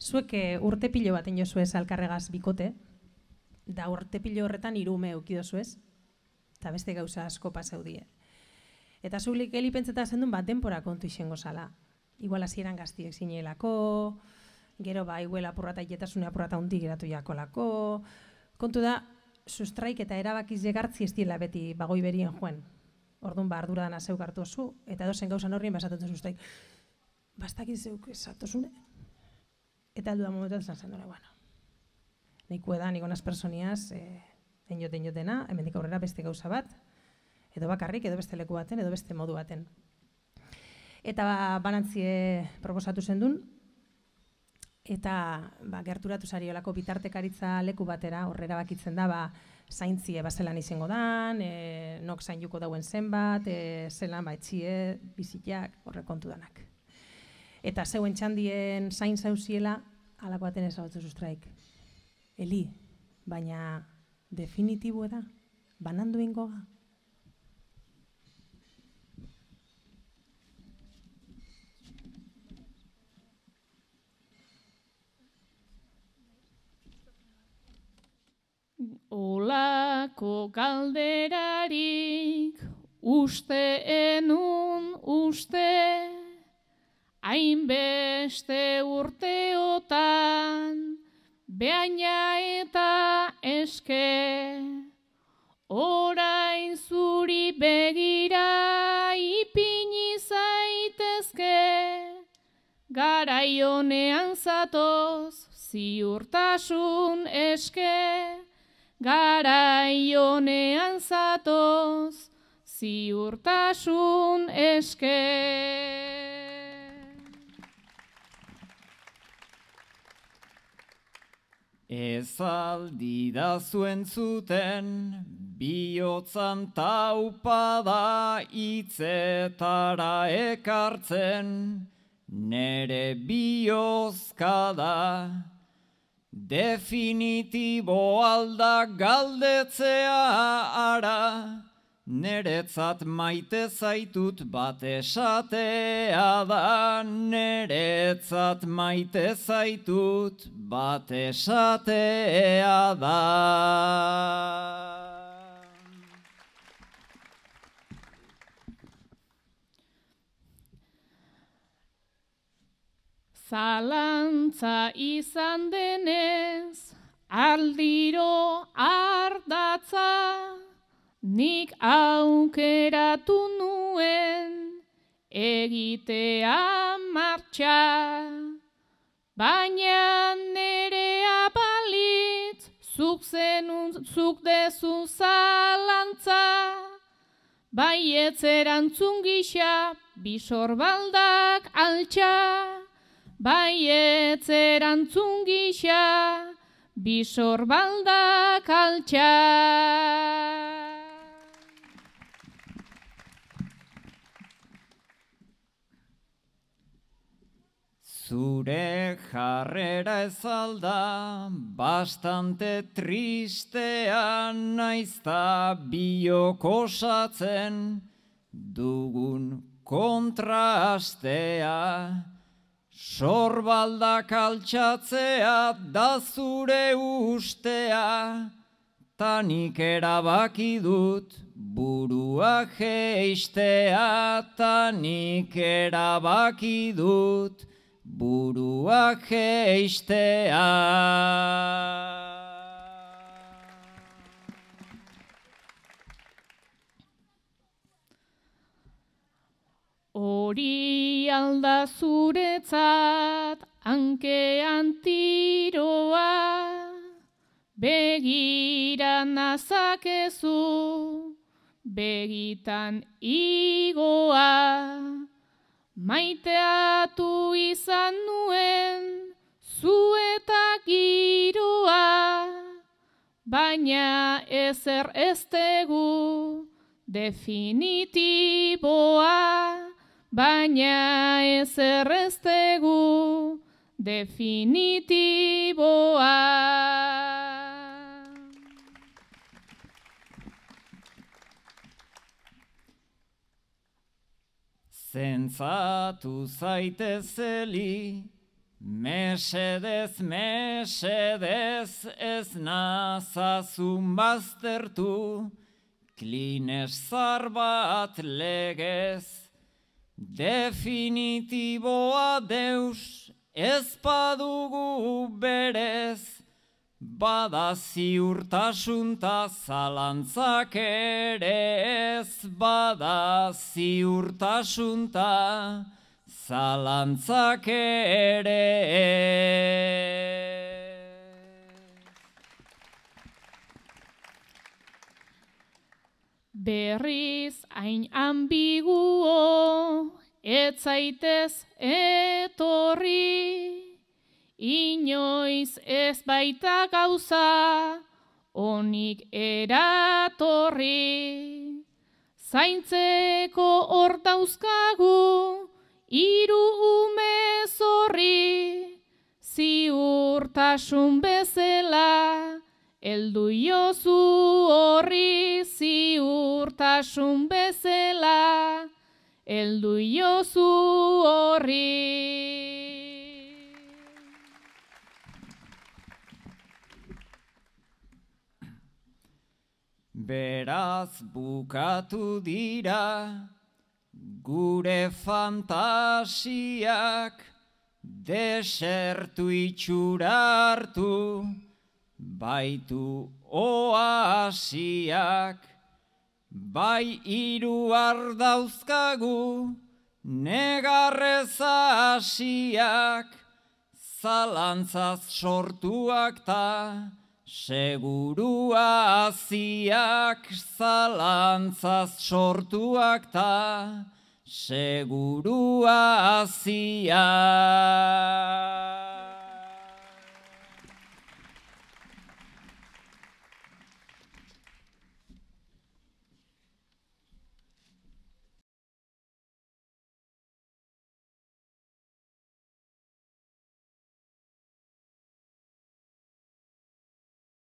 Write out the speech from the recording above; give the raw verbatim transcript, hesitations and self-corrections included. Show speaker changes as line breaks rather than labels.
Zuek urte pilo baten jozuez alkarregaz bikote, da urte pilo horretan hiru ume eukidozuez, eta beste gauza asko pasau die. Eta zulik heli pentseta zendun bat denpora kontu izango zala. Igual hasieran gaztiek zinelako, gero ba, igual apurrata ietasune apurrata hundi geratu jakolako. Kontu da, sustraik eta erabakiz jegartzi ez diela beti bagoi berien joen. Orduan ba, ardura dana zeuk hartu oso, eta edozen gauzan horrien basatutzen sustraik. Bastakit zeuk esatosune. Eta aldu da momentu zen zen dure, bueno. Nahiko edan, niko nas personiaz, eh, enjoten jotena, hemendik aurrera beste gauza bat, edo bakarrik, edo beste leku baten, edo beste modu baten. Eta ba, banantzie proposatu zendun, eta ba, gerturatu zariolako bitartekaritza leku batera, horrera bakitzen da, ba, zaintzie bazelan izango dan, e, nok zainduko dauen zenbat, e, zelan ba, etxie, bizitak, horre kontu danak. Eta zeuen txandien zain zauziela, alako baten ezagutzen sustraik. Eli, baina definitibo da, banandu ingoa.
Olako galderarik uste enun uste, hainbeste urteotan, behaina eta eske, orain zuri begira ipini zaitezke, garai honean zatoz ziurtasun eske, garai honean zatoz ziurtasun eske.
Ez aldi da zuen zuten, bihotzan taupada hitzetara ekartzen, nere bihozka da, definitibo alda galdetzea ara, neretzat maite zaitut bat esatea da, neretzat maite zaitut bat esatea da.
Zalantza izan denez, aldiro ardatza, nik aukeratu nuen egitea martxa, baina nerea balitz zuk zenun zuk dezu zalantza, baietz erantzun gisa bisorbaldak altxa, baietz erantzun gisa bisorbaldak altxa.
Zure jarrera ez alda, bastante tristea naizta biok osatzen dugun kontrastea. Sorbaldak altxatzea da zure ustea, tanik erabaki dut burua jeistea, tanik erabaki dut burua jeistea.
Hori alda zuretzat hankean tiroa, begira nazakezu, begitan igoa, maiteatu izan nuen zu eta giroa, baina ezer ez tegu definitiboa, baina ezer ez tegu definitiboa.
Zentzatu zaitezeli, Mesedez, mesedez, ez nazazun baztertu, klines zar bat legez, definitiboa deus, ez badugu berez, bada ziurtasunta zalantzak ere ez, bada ziurtasunta zalantzak ere
Berriz hain ambiguo, ez zaitez etorri, inoiz ez baita gauza, onik eratorri. Zaintzeko hor dauzkagu, hiru ume zorri, ziurtasun bezala, heldu jozu horri, ziurtasun bezala, heldu jozu horri.
Beraz bukatu dira gure fantasiak, desertu itxura hartu, baitu oasiak, bai hiru ardauzkagu, negarrez hasiak, zalantzaz sortuak ta, segurua aziak, zalantzaz sortuak ta, segurua aziak.